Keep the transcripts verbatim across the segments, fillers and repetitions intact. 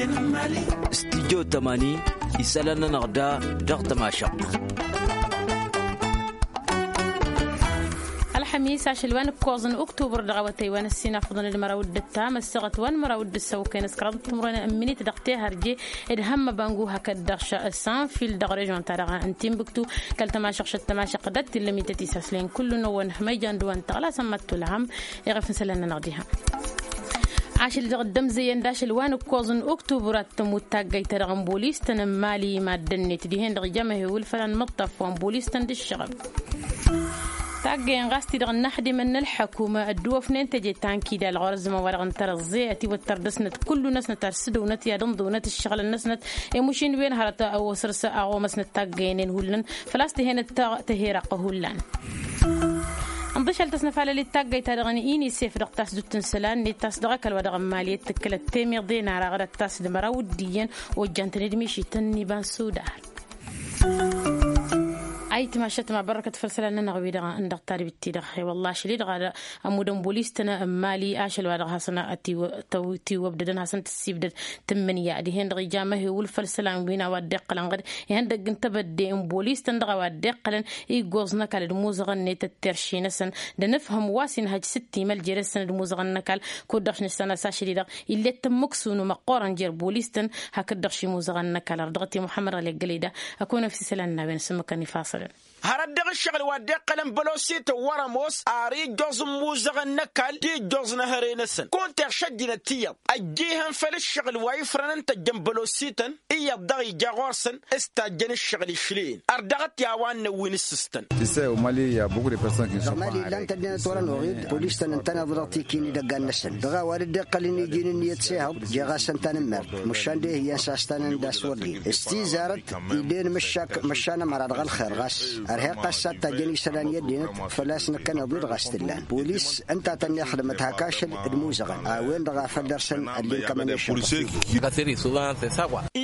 Studyo tămani isălan-nănăɣ da dăɣ-tămašăɣt. Ălxămis ašăl wa n-ǝkkoẓ n-uktubăr dăɣ-awătay wa n-ăssinafăḍăn d-măraw d-ǝttam ăssaɣăt wa n-măraw d-ǝssăwkăyăn s-kăraḍăt timǝrwen n-minit dăɣ-tehărje d-hămmăbăngu hakd-dăɣ s-sanfil dăɣ-režon-ta-dăɣ n-timbuktu. Kăl-tămašăɣt šăt tămašăɣt dăt-tillăm ităt isaslen kullu-năwăn hămăyjan d-wa n-tăɣla sămmăt tulhăm. Iɣăf n-isălan-nănăɣ diha ašăl dăɣ-dd-ămzăyăn d-ašăl wa n-ǝkkoẓ n-uktubăr ad-tămut taggayt-ta-dăɣ n-bolis-tăn n-mali mad-ănnet dihen-dăɣ ija măhewǝl făll-anmǝṭṭaf wa n-bolis-tăn d-ǝššăɣăb. Taggăyăn ɣas-ti-dăɣ n-inaxdimăn n-ălḥăkum ădduwăfnen teje ta n-kidal ɣur-ăzzăman-wa-dăɣ n-tărăẓẓe ătiwăttăr dăɣ-snăt kullu-năsnăt ad-sǝdǝwnăt i-ad-ǝnḍǝwnăt ǝššăɣǝlăn-năsnăt i-mušin wen hărăt osăr-s aɣomăsnăt taggăyăn-en hullan. Făl-a-s tǝhenăt tăheraqq hullan. Ǝnḍǝšăl tăsnăfalăl i-taggăyt-ta-dăɣ n-inisef dăɣ-tasdut n-isălan-net ta s-dăɣ-ăkall wa dăɣ-n mali ed tǝkkǝlăt temiḍe n-araɣăd ad-tasdǝmăraw d-iyyăn ojjan-tăn-dd mišităn n-iba n-sudar. Ayǝtma ašăt ma bărrăkăt făll-isălan-nănăɣ-wi-dăɣ n-dăɣ-tadbit-ti-dăɣ i-wălla ašăl-i-dăɣ ămmudăn bolis-tăn n-mali ašăl wa dăɣ-hasăn-tiwăbdădăn hasăn-tǝssibdăd tǝmmǝnǝya dihen-dăɣ ija măhewǝl făll-isălan wi n-a-wa dd-iqqălăn ɣǝd ihăndăgg n-tebădde n-bolis-tăn dăɣ-a-wa dd-iqqălăn iggoẓ n-ăkall d-imuzăɣăn-net d-terše-năsăn d-anǝfhǝm wa s-inhăj s-ǝttimăl jere-săn d-imuzăɣăn n-ăkall. Kud-dăɣ š-nǝssan a-s ašăl-i-dăɣ ill'-e d-tămmǝksu n-imăqqoorăn jer-bolis-tăn hakd-dăɣ š-imuzăɣăn n-ăkall ar dăɣ-t i-muḥămmăd ɣali ăggălăy da. Ăkun efs isălan n-a-wen s-ǝmmǝkăn ifaṣălăn. Hărăt dăɣ-ǝššăɣǝl wa dd-iqqălăn bălosităn wăr-ămoos ar ijjoẓ n-imuzăɣăn n-ăkall d-ijjoẓ n-ehăre-năsăn kunta iɣšăjjinăt iyyăḍ ăjjihăn făll-ǝššăɣǝl wa ifrănăn tăjjăn bălosităn. Iyyăḍ daɣ ija ɣur-săn s-tajjăn ǝššăɣǝl išlǝyăn ar dăɣ-t i-a-wa n-năwwin ǝssǝstăn. Dăɣ-mali illan tăddinăt wăr-ănoɣid polis-tăn ǝntăneḍ dăɣ-tiki n-idăggan-năsăn dăɣ-a-wa dd-iqqălăn iji n-ǝnniyăt s-ehăḍ. Jeɣ-asăn tanǝmmert măšan d-ehǝyyăn s-astanăn d-aswărdin s-tizarăt. Iden măšan ămăra dăɣ-ălxer ɣas ărheɣ-t a-s ad-tajjăn isălan i-ăddinăt. Făl-a-s năkkăneḍ-dd ɣas t-ǝllan polis ǝnta a tăn-ixdǝmăt hak ašăl d-imuzăɣăn a-wen-dăɣ a făl dăr-săn ăllinkămăn i-ašăl.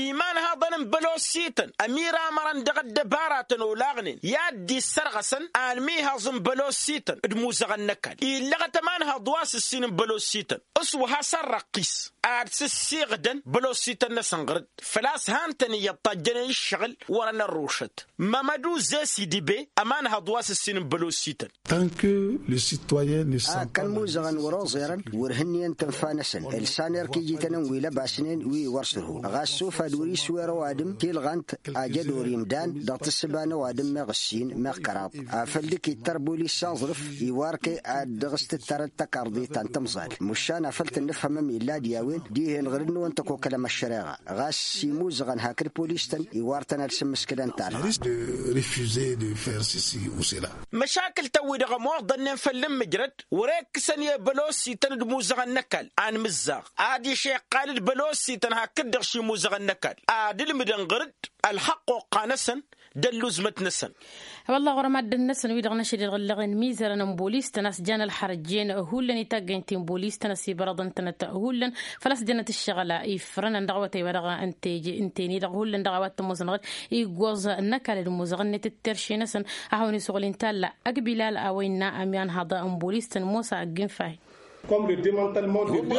Imanhaḍăn n-bălosităn ămiramărăn dăɣ-ăddăbaratăn olaɣnen i-ad-dd-issărɣăsăn almihaẓ n-bălosităn d-imuzăɣăn n-ăkall illăɣăt ămanhaḍ wa s-ǝssin n-bălosităn s-wa has-ărrăqqis ad-sǝssiɣdăn bălosităn-năsăn ɣǝr-dd. Făl-a-s han-tăn iyyăḍ tajjănen ǝššăɣǝl wăr-ănărrušăt. Mămădu zesi dibe ămanhăḍ wa s-ǝssin n-bălosităn. Tant que le citoyen ne sent pas la kăl-muzăɣăn wăr-oẓerăn wăr hǝnniyăn tǝnfa-năsăn ǝlsan erk ijităn n-wi lăbasnen wi wăr sărhu ɣas sufad wăr-iswer ăwadǝm tilɣant. Ajădor imdan dăɣ-tǝssǝba n-ăwadǝm meɣ ǝssin meɣ kăraḍ afăl dd-kittăr bulis s-aẓrǝf iwar kăy ad-dăɣ-s tǝttărăd tăkarḍit ta n-tǝmẓal. Măšan afăl tǝnnǝfhămăm illa d-i-a-wen dihen ɣǝr-dd-năwăn tăkokălăm ăššăreɣa ɣas imuzăɣăn hakd polis-tăn iwar-tăn ad-sǝmmǝskǝlăn tarha. Refuser de faire ceci ou cela. Măšakǝl-tăn-wi-dăɣ ămoḍănnen făll-inmǝjrăd wăr-e ǝkkǝsăn i-bălosităn d-imuzăɣăn n-ăkall anmǝzzaɣ ad-išeqqal d-bălosităn hakd-dăɣ šimuzăɣăn n-ăkall ad-ǝlmǝdăn ɣǝr-dd ălxăqq oqqa-năsăn d-ălluzmăt-năsăn. Wălla ɣur-ămaddǝn-năsăn wi-dăɣ n-ašăl-i-dăɣ ǝllăɣen mizărăn n-bolis-tăn a-s jan ălxărăt jen hullan i-taggăynt ti n-bolis-tăn ăsibărăḍăn-tănăt hullan făl-a-s jănăt ǝššăɣǝl ifrănăn dăɣ-awătay wa dăɣ-ǝnten-i-dăɣ hullan dăɣ-a-wa t-ămoosăn ɣǝd iggoẓ n-ăkall d-imuzăɣăn-net d-terše-năsăn. A hawăn-isuɣǝl inta ălla ăgbilal a-wa innă ămyanhăḍ n-bolis-tăn mosa ăgg-infahi. Wălla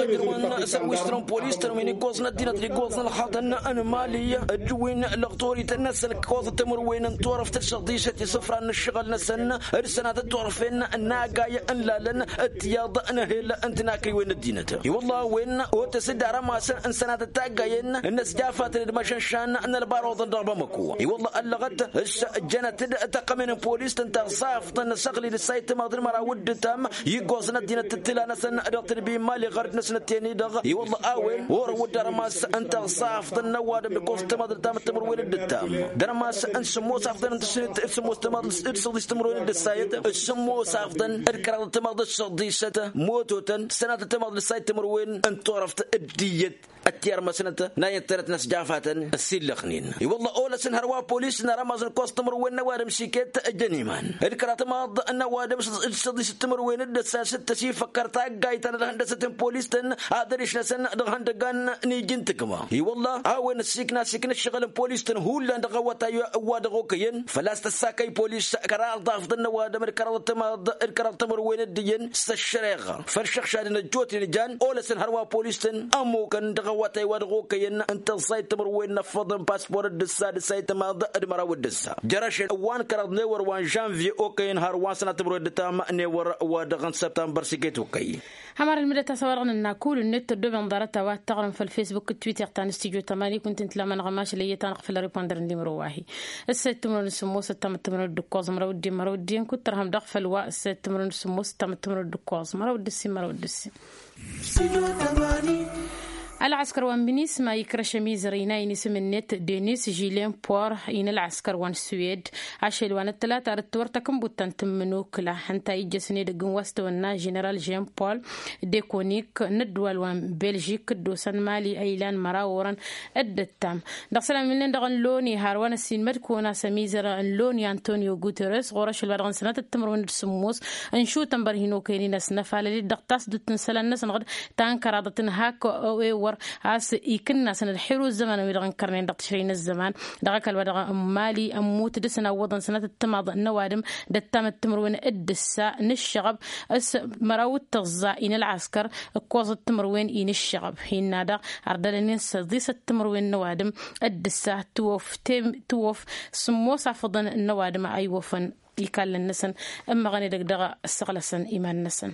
ǝjrǝwăn săr wi s-tărăn polis-tăn wi n-iggoẓ n-ăddinăt d-iggoẓ n-ălxaḍăn n-mali ăjjǝwin lăɣtorităn-năsăn ǝkkoẓăt timǝrwen n-turăft d-săḍisăt isǝfran n-ǝššăɣǝl-năsăn d-sănatăt turăfen n-agay n-lalăn d-tiyaḍ n-ehel n-tinakriwen n-ăddinăt. I-wălla a-wen otăs-dd arămasăn n-sănatăt taggayen n-ăsjafatăn d-imăšănšan n-ălbaruḍăn dăɣ-bamăko. I-wălla ăllăɣăt s-jănăt-dd tăqqămen n-polis-tăn taẓaft n-asăɣlil s-a itmaḍ d-măraw d-ǝttam iggoẓ n-ăddinăt tǝttǝla-năsăn dăɣ-tǝnbi n-mali ɣărăt-năsnăt ten-i-dăɣ. I-wălla a-wen orăwăd d-armas n-taẓaft n-ăwadǝm d-ǝkkoẓ tămaḍ d-tamǝttămărwen d-ǝttam d-armas n-sǝmmos afḍăn n-tǝsǝmmos tămaḍ d-săḍis tămărwen d-ǝssayăt. Sǝmmos afḍăn d-kăraḍ tămaḍ d-săḍisăt mototăn sănatăt tămaḍ d-ǝssayăt tămărwen n-turăft d-iyyăt. Ăttiărmăsnăt n-a iyyăt tărăt n-ăsjafatăn ăsillăxnen. I-wălla olăsăn hărwa polis n-arămaẓ n-ǝkkoẓ timǝrwen n-ăwadǝm s-iket ăjjăn iman d-kăraḍ tămaḍ n-ăwadǝm d-săḍis d-timǝrwen d-ăssayăt s-dd-tăsifăkkăr taggayt ta n-ad-hăndăsăt n-polis-tăn ad-ăriš-năsăn dăɣ-ihăndăggan n-iji n-tǝkma. I-wălla a-wen ăssiikna s-ikna ǝššăɣǝl n-polis-tăn hullan dăɣ-awătay wa dăɣ-okăyăn făl-a-s tăssakăy polis kăraḍ afḍăn n-ăwadǝm d-kăraḍ tămaḍ d-kăraḍ timǝrwen d-iyyăn s-ăššăreɣa făll-išăɣšadăn ăjjootnen jan olăsăn hărwa polis-tăn ămmukăn dăɣ-a Wa tăyy wa dăɣ-okăyăn n-tăẓẓay timǝrwen n-ăffăḍăn paspor d-ǝssa d-ǝssa itămaḍ d-măraw d-ǝssa jăr-ašăl wa n-kăraḍ n-ewăr wa n-žănvye okăyăn hărwa n-sănat timǝrwen d-ǝttam n-ewăr wa dăɣ-n săbtămbăr s-iket okăy. Hămăr ǝlmǝdăt a-s a-wa dăɣ-nǝnna kull-net tăddoobăn ḍarăt a-wa t-taɣrǝm făll-fesbuk d-twitter ta n-stujo tămani kunta n-tǝlamănăɣ mašăl iyyăt-anăɣ făll-ripondăr n-limro wa-hi. Ǝssa ittǝmrǝwăn d-sǝmmos ǝttam ǝttǝmrǝwăn d-ǝkkoẓ măraw d-ǝddin măraw d-ǝddin kuttărhăm dăɣ-făll-wa ǝssa ittǝmrǝwăn d-sǝmmos ǝttam ǝttǝmrǝwăn d-ǝkkoẓ măraw d-ǝssin măraw d-ǝssin. Ălɣăskăr wa n-binisma ikrăš ămizăr ina inisǝm-net denis žilin por. Inălɣăskăr wa n-suwed ašăl wa n-ăttălata ad-dd-tiwăr takǝnbut ta n-tǝmmǝnukǝla ǝnta a ijjăsăn edăgg n-wa s-tăwănna ženeral žen pol dekonik n-ăddǝwal wa n-belžik dd-osăn mali ăylan măraw orăn. Dd-ǝttam dăɣ-isălan milnen dăɣ-ănloni har wa n-ăssiinmăd kăwăn-as ămizăr ănloni antonio guteres ɣur-ašăl wa dăɣ-nǝsnăt d-timǝrwen d-sǝmmos n-išutăn bărhin okăyăn-in ăsnăfalăl-dd dăɣ-tasdut n-isălan-năsăn ɣǝd ta n-kăraḍăt n-hak ewăr a-s ikǝnnasăn ălxiru ăzzăman wi-dăɣ ǝnkărnen dăɣ-tǝšrăy n-ăzzăman. Dăɣ-ăkall wa dăɣ-n mali ămmut dăr-săn a ǝwwăḍăn sănătăt timaḍ n-ăwadǝm d-ăttam d-timǝrwen d-ǝssa n-ǝššăɣăb s-măraw d-tăẓẓa-i n-ălɣăskăr ǝkkoẓăt timǝrwen-i n-ǝššăɣăb. Innă daɣ ărdălăn-in săḍisăt timǝrwen n-ăwadǝm d-ǝssa tǝwof tǝwof sǝmmos afǝḍăn n-ăwadǝm a iwăfăn ikallăn-năsăn ǝmmăɣăn edăgg dăɣ-ăssăɣlăsăn iman-năsăn.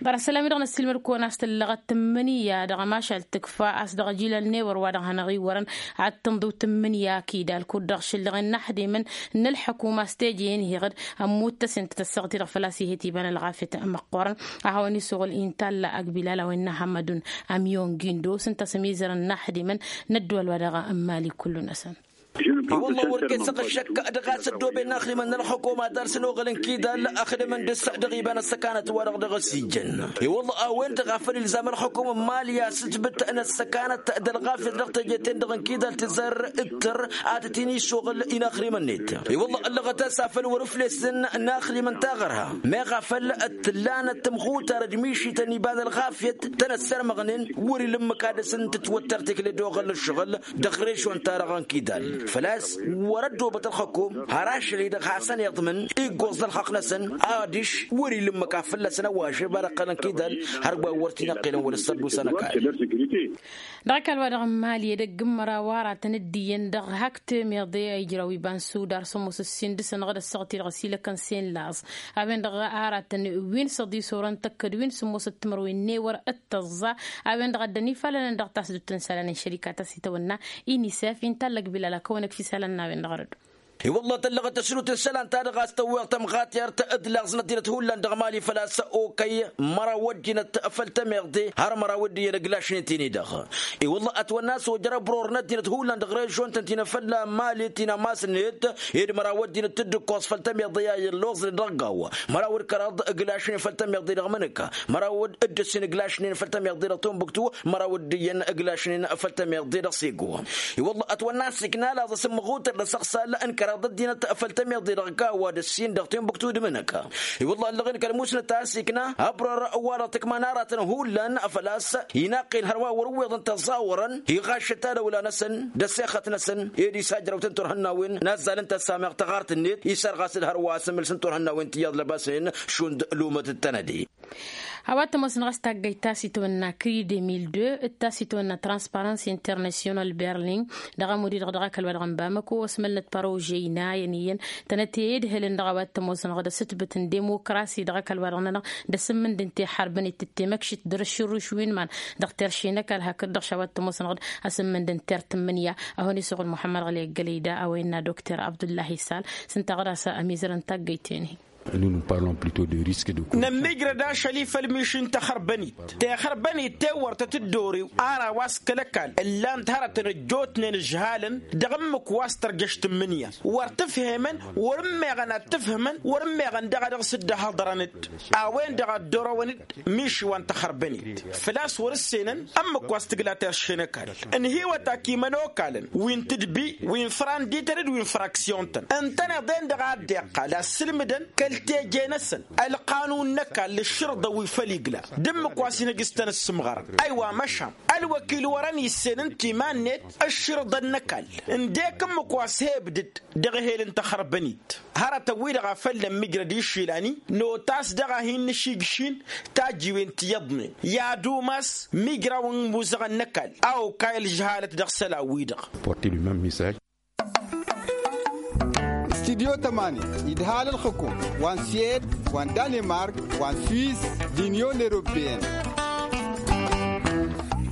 Ḍarăt isălan-wi-dăɣ n-ăssiilmăd-kăwăn a-s tǝllăɣăt tǝmmǝnǝya dăɣ-ămašal tǝkfa a-s dăɣ-ăjilal n-ewăr wa dăɣ-hanăɣ-iwwărăn ad-tǝnḍǝw tǝmmǝnǝya akidal kud-dăɣ šǝllăɣen n-aḥdimăn n-ălḥăkuma s-teje-en iɣǝd ămmut tăsent tăssăɣăt-i-dăɣ făl-a-s ih'-et iba n-ălɣafyăt măqqoorăn. A hawăn-isuɣǝl intalla ăgbilal a-wen n-ahămmădun ămyon gindos ǝnta a-s ămizărăn n-aḥdimăn n-ăddăwăl wa dăɣ-n mali kullu-năsăn. I-wălla wăr-kăy-săɣ ăššăk dăɣ-a-s ăddooben n-axdimăn n-ălxukuma dar-săn oɣălăn kidal ăxdǝmăn dăɣ-s dăɣ-iba n-ăssăkanăt wa-dăɣ dăɣ-s ijjăn. I-wălla a-wen-dăɣ a făl ilzam ălxukum n-mali a-s ǝjbǝt n-ăssăkanăt d-ălɣafyăt dăɣ-teje-ten-dăɣ n-kidal tǝzzar ǝttăr ad-tăt-in-isuɣǝl inaxdimăn-net. I-wălla ăllăɣăt a-s a făl wăr-ǝflesăn inaxdimăn taɣărha meɣ a făl t-tǝllanăt tǝmxutar d-mišităn iba n-ălɣafyăt tăn-ăssărmăɣnen wăr-ila ǝmmǝk ad-dăr-săn tǝtwăttăr tikli d-oɣăl n-ǝššăɣǝl dăɣ-režion-ta-dăɣ n-kidal. Făl-a-s wăr-ăddoobăt ălxukum har ašăl-i-dăɣ hasăn-iḍmǝn iggoẓ d-ălxaqq-năsăn adiš wăr-ila ǝmmǝk a fălla-săn ăwažăb ad-ăqqălăn kidal. Hărwa wăr t-in-ăqqilăn wăla s-ăddusa n-ăkall. Dăɣ-ăkall wa dăɣ-n mali edăgg n-măraw aratăn dd-iyyăn dăɣ-hak temeḍe a ijraw iba n-sudar sămoos ǝssin dăɣ-săn ɣǝd ăssaɣăt-i-dăɣ ăsilăkăn s-en laẓ. A-wen-dăɣ aratăn wi n-săḍis orăn tăkkăd wi n-sămoos d-timărwen n-ewăr d-tăẓẓa. A-wen-dăɣ a dd-ănifalănăn dăɣ-tasdut n-isălan n-šărika ta s-itawănna inisef inta ăllăg bilal a kăwăn-ăkf isălan n-a-wen-dăɣ rădu. I-wălla tăllăɣăt tăsrut n-isălan-ta-dăɣ a-s tăwweɣ tămɣatert d-laẓ n-ăddinăt hullan dăɣ-mali făl-a-s okăy măraw ăddinăt făll-tămeḍe har măraw dd-iyyăn ǝglašnen-t-in-i-dăɣ. I-wălla ătwănna a-s ojăr ăbror n-ăddinăt hullan dăɣ-režion-tăn ti n-afălla mali ti n-amas-net ed măraw ăddinăt dd-ǝkkoẓ făll-tămeḍe i-a iyyăn loẓnen dăɣ-gawa. Măraw d-kăraḍ ǝglašnen făll-tămeḍe dăɣ-mănăkka măraw dd-ǝssin ǝglašnen făll-tămeḍe dăɣ-tunbuktu. Măraw dd-iyyăn ǝglašnen făll-tămeḍe dăɣ-sego. I-wălla ătwănna a-s ikna laẓ asǝmmăɣuter d-asăɣsal n-kăraḍ ăddinăt făll-tămeḍe dăɣ-gawa d-ǝssin dăɣ-tunbuktu d-mănăkka. I-wălla ăllăɣ-in kăl-musnăt a-s ikna ăbror wa dăɣ-tǝkma n-aratăn hullan făl-a-s inaqq-in hărwa wăr-ǝwweḍăn tăẓẓawărăn iɣaššăt tadăwla-năsăn d-ăssexăt-năsăn ed isajrăw-tăn turhǝnnawen n-azzal n-tăssameɣ taɣart-net isărɣas-dd hărwa asǝmmǝls n-turhǝnnawen tiyyăḍ lăbasnen šund lumăt d-tănăde. A-wa t-ămoosăn ɣas taggăyt ta s-itwănna kri deux mil deux d-ta s-itwănna transparans internasyonal berlin dăɣ-amud-i-dăɣ dăɣ-akăl wa dăɣ-n bamăko ăsmălnăt părožey n-ayăn iyyăn tănăt i-idhǝlăn dăɣ-a-wa t-ămoosăn ɣas d-asǝtbǝt n-demokrasi dăɣ-akăl wa dăɣ-nănăɣ d-asǝmmǝnd n-te-ixărbăn-it d-temăkšit d-erăšširruš wi n-iman dăɣ-terše n-ăkall hakd-dăɣ š-a-wa t-ămoosăn ɣas d-asǝmmǝnd n-ter tǝmmǝnǝya. A hon-isuɣǝl muḥămmăd ɣǝli ăggălăy da a-wa innă dokter abdullahi sal s-ǝnta ɣas a ămizărăn taggăyt-en-hi. Nămmiijrăd ašăl-i făll-miši n-taxărbănit tixărbănit tewăr tăt-dd-orew ar a-wa s-kăl-ăkall ǝllan-t hărătăn ăjjootnen ǝžhalăn dăɣ-ǝmmǝk wa s-tărjăš tǝmmǝnǝya. Wăr tǝfhemăn wăr-ǝmmeɣăn ad-tǝfhǝmăn wăr-ǝmmeɣăn daɣ a dăɣ-s dd-ăhhăḍărăn-dd a-wen-dăɣ a dd-orăwăn-dd miši wa n-taxărbănit. Făl-a-s wăr-ǝssenăn ǝmmǝk wa s-tǝgla terše n-ăkall ǝnhǝywăt ak imănokalăn wi n-tǝdbi wi n-frandităn d-wi n-fraksyon-tăn ǝntăneḍ-en-dăɣ a dd-iqqal a ǝssǝlmǝdăn. Teje-năsăn ălqanun n-ăkall ǝššǝrḍăn wi făll-igla d-ǝmmǝk wa s-hin-ăj s-tăn-ǝssǝmɣărăn. Ăywa măšan ălwăkil wărăn issen ǝnta iman-net ǝššǝrḍăn n-ăkall ǝndek ǝmmǝk wa s-he-ǝbdǝd dăɣ-ehel n-taxărbănit. Hărătăn-wi-dăɣ a făllăn mijrăd išilani notas dăɣ-a hin-nǝšijšin tajjiwen ti iyyăḍnen i-ad-umas mijrawăn imuzăɣăn n-ăkall a okay ălžăhalăt dăɣ-isălan-wi-dăɣ. Porti lui mem misaj. Studyo tămani idhal ălxǝkum wa n-swed wa n-danemark wa n-swiss d-inyon europeyăn.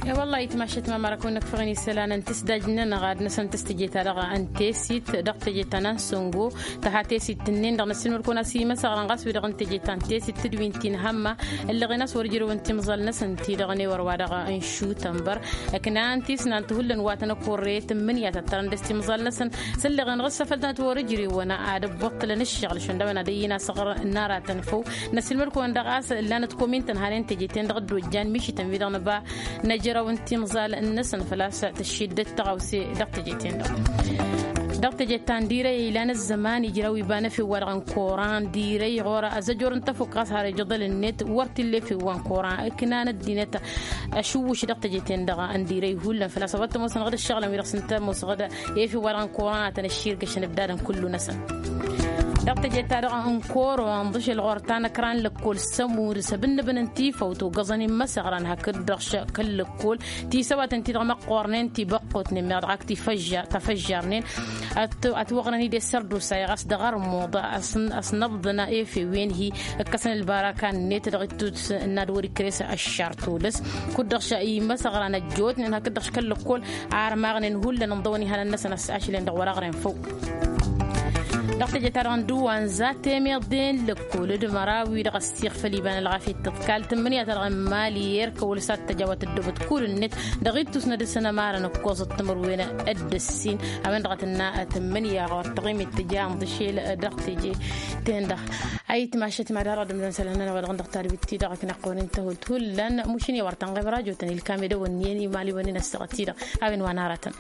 E-wălla-hi tmašăt ma mărakăwăn năkfăɣăn isălan n-tǝsdaj-nănăɣ ad-năsăn tǝstǝje-ta-dăɣ n-tesit dăɣ-teje ta n-ansăngo. Tăha tesit-nin-dăɣ năssiilmăd-kăwăn a-s imăsăɣrăn ɣas wi-dăɣ n-teje ta n-tesit tǝdwin ti n-hămma ǝllăɣen a-s wăr ǝjrăwăn timẓal-năsăn-ti-dăɣ n-ewăr wa dăɣ-n šutănbăr. Ǝknan tisnant hullan wa tăn-ăkkorre tǝmmǝnǝya tăttărăn dăɣ-s timẓal-năsăn s-ǝlleɣen ɣǝssăfăl tănăt wăr-ǝjrewăn ad-ǝbbuṭṭǝlăn ǝššăɣǝl šund a-wen ad-ăyyǝn asăɣr n-aratăn făw. Năssiilmăd-kăwăn daɣ a-s ǝllanăt komin-tăn hanen teje-ten-dăɣ dd-ojjan mišităn wi-dăɣ nǝba năjrăw n-timẓal-năsăn făl-a-s tǝššiddet tăɣawse dăɣ-teje-ten-dăɣ. Dăɣ-teje ta n-dirăy ilan ăzzăman ijraw iba n-efew wa dăɣ-n koran dirăy ɣur-ăzăjor n-tăfuk ɣas har ijăḍăl-net wăr t-illa efew wa n-koran ǝknan ăddinăt. Ašǝwwǝš dăɣ-teje-ten-dăɣ n-dirăy hullan făl-a-s a-wa t-ămoosăn ɣǝd ǝššăɣǝlăn wi-dăɣ s-ǝnta ămoos ɣǝd efew wa dăɣ-n koran ad-tăn-ăšširgăšăn ǝbdadăn kullu-năsăn. Dăɣ-teje-ta-dăɣ n-koro ănḍǝšel ɣur-ta n-ăkra n-lăkkol s-ămud s-abǝnnǝbăn n-tifăwt ogăẓăn immăsăɣran hakd-dăɣ kăl-lăkkol tisăwatăn-ti-dăɣ măqqornen tibăqqotnen meɣ dăɣ-ak tifăjjarnen. Ătwăɣnăn-dd i-sărdusa i-ɣas dăɣ-armuḍ ăsnăbḍăn efewen-hi ǝkkăsăn ălbaraka-net dăɣ-ittus n-ad-wăr-ikkăres ăššar tolăs. Kud-dăɣ immăsăɣran ăjjootnen hakd-dăɣ kăl-lăkkol armaɣnen hullan ǝnḍăwăn ihănăn-năsăn ašǝlen dăɣ-wăr-aɣren făw. Dăɣ-teje-ta-dăɣ n-dăɣ wa n-za temeḍe n-lăkkol d-măraw-wi-dăɣ ăssiɣ făll-iba n-ălɣafyăt tǝḍkal tǝmmǝnǝya-ta-dăɣ n-imali erk ăwăl s-ad-tăjawăt ăddoobăt kull-net dăɣ-ittus n-ad-ǝsǝnămarăn ǝkkoẓăt timǝrwen d-ǝssin. A-wen-dăɣ a tǝnna tǝmmǝnǝya ɣur-tăɣimit tǝja ǝnḍǝšel dăɣ-teje-ten-dăɣ. Ayǝtmašăt mad-arăɣ d-ǝmdăn isălan-nănăɣ wa dăɣ-dăɣ tarbitti dăɣ-aknăqqonen tăhult hullan mušǝn i-wăr tănɣeb rajotăn ilkam edăwănniyen imaliwăn-in ăssaɣăt-i-dăɣ. A-wen wa n-aratăn.